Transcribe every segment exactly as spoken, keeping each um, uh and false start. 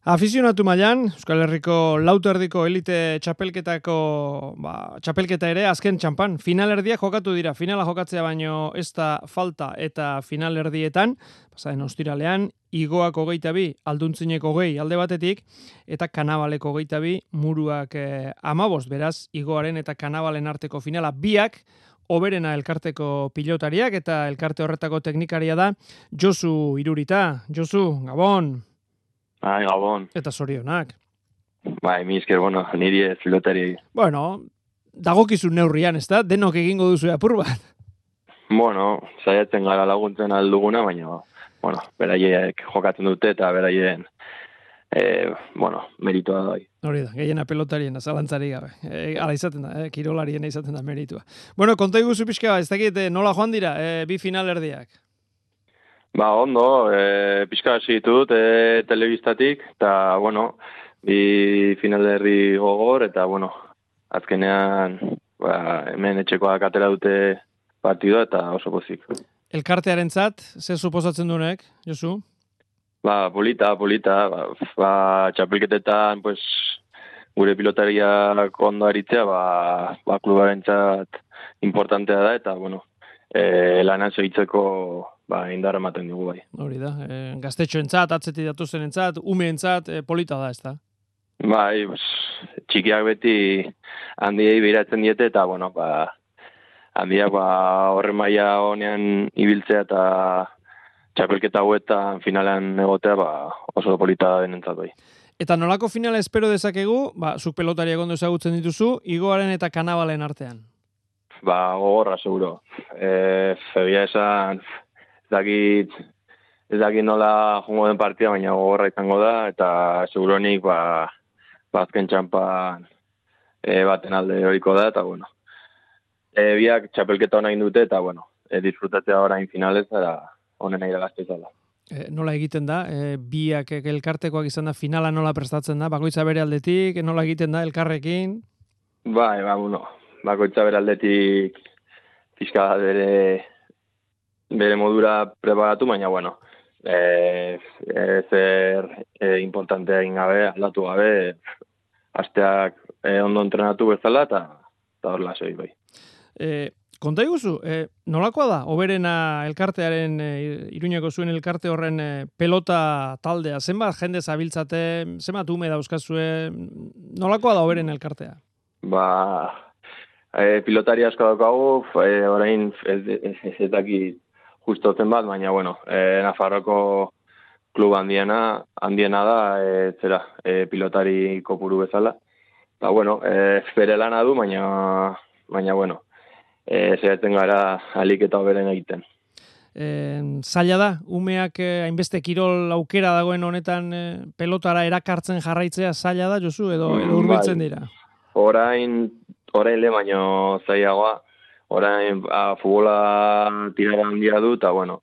Afizionatu mailan, Euskal Herriko lauterdiko elite txapelketako ba, txapelketa ere azken txampan. Finalerdiak jokatu dira, finala jokatzea baino ez da falta eta finalerdietan, pasaren ostiralean, Igoak hogeita bi, Alduntzinek hogei alde batetik, eta Kanabaleko hogeita bi, Muruak eh, amabost, beraz, Igoaren eta Kanabalen arteko finala biak, Oberena elkarteko pilotariak eta elkarte horretako teknikaria da Josu Irurita. Josu, Gabon! Bai, Gabon. Eta zorionak. Bai, mi esker, bueno, niri ez pilotari. Bueno, dagokizun neurrian, ez da? Denok egingo duzu apur bat. Bueno, saiatzen gara laguntzen alduguna, baina, bueno, beraiek jokatzen dute eta beraien, eh, bueno, meritua da. Hori da, gehiena pelotarien, zalantzari gabe. E, ala izaten da, eh? Kirolarien izaten da meritua. Bueno, konta iguzu pixka, ez dakit, eh, nola joan dira, eh, bi finalerdiak? Ba, ondo, e, pixka hasi ditut e, telebistatik, eta, bueno, bi finalerdi gogor, eta, bueno, azkenean, ba, hemen etxekoak atera dute partidua, eta oso pozik. Elkartearentzat, ze suposatzen duenek, Josu? Ba, polita, polita, ba, ba txapelketetan, pues, gure pilotariak ondo aritzea, ba, ba klubarentzat importantea da, eta, bueno, e, lanan segitzeko ba, indarra ematen dugu bai. Hori da, e, gaztetxoentzat, atzetik datuzenentzat, umeentzat, e, polita da, ez da? Bai, pues, txikiak beti handiei behiratzen diete, eta, bueno, ba, handiak ba, horren maila honean ibiltzea eta txapelketa hauetan finalean egotea, ba, oso polita denentzat bai. Eta nolako finala espero dezakegu, ba, zuk pelotariak ondo ezagutzen dituzu, Igoaren eta Kanabalen artean? Ba, gogorra, seguro. E, Febia esan, ez dakit, ez dakit nola jongo den partida, baina gogorra izango da, eta seguronik, ba, bazken txampan e, baten alde horiko da, eta, bueno, e, biak txapelketa hona indute, eta, bueno, e, disfrutatzea orain finalez, eta honen iragazte izala. E, nola egiten da, e, biak elkartekoak izan da, finala nola prestatzen da, bakoitza bere aldetik, nola egiten da, elkarrekin? Bai, ba, bueno, bakoitza bere aldetik pixka bere, bere modura preparatu, baina, bueno, e, e, zer e, importantea egin gabe, aldatu gabe, asteak e, ondo entrenatu bezala, eta horrela segi bai. E, konta iguzu, e, nolakoa da, Oberena elkartearen, e, Iruñeko zuen elkarte horren e, pelota taldea, zenbat jende zabiltzate, zenbat ume dauzkazue, nolakoa da Oberena elkartea? Ba, e, pilotari asko daukagu, e, orain ez, ez, ez dakit justo zen bat, baina, bueno, e, Nafarroko klub handiena, handiena da, e, zera, e, pilotari kopuru bezala. Eta, bueno, e, bere lana du, baina, baina bueno, e, zeratzen gara alik eta hoberen egiten. E, zaila da, umeak e, hainbeste kirol aukera dagoen honetan e, pelotara erakartzen jarraitzea zaila da, Josu, edo, edo hurbiltzen dira? Orain, orain le, baina zailagoa, orain a, futbola tirara handia du, eta, bueno,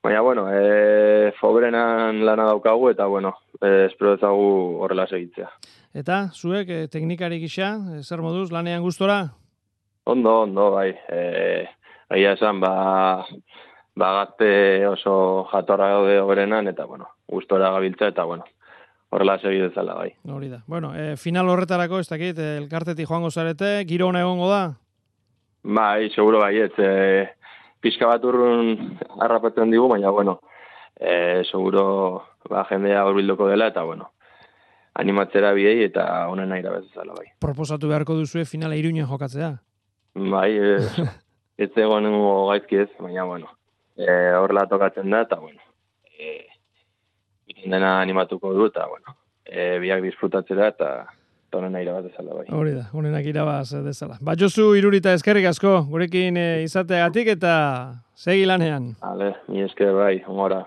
baina, bueno, e, Oberenan lana daukagu, eta, bueno, e, espero ezagu horrela segitzea. Eta, zuek, e, teknikari gisa, e, zer moduz, lanean gustora? Ondo, ondo, bai. E, Aia esan, ba, ba gazte oso jatorra gaude Oberenan, eta, bueno, gustora gabiltza, eta, bueno, horrela segi dezala, bai. Hori da. Bueno, e, final horretarako, ez dakit, e, elkartetik joango zarete, giro ona egongo da? Bai, seguro bai, ez. E, pixka bat urrun harrapatzen digu, baina, bueno, e, seguro ba, jendea horbilduko dela, eta, bueno, animatzera biei eta honen nahi bezala, bai. Proposatu beharko duzue finala Iruñen jokatzea? Bai, e, ez egon gaizki ez, baina, bueno, e, horrela tokatzen da, eta, bueno, e, dena animatuko du, eta, bueno, e, biak disfrutatzera, eta honen nahi bat dezala, bai. Hori da, honenak irabaz dezala. Ba, Josu Irurita eskerrik asko, gurekin e, izateagatik eta segi lanean. Hale, mi esker bai, hongora.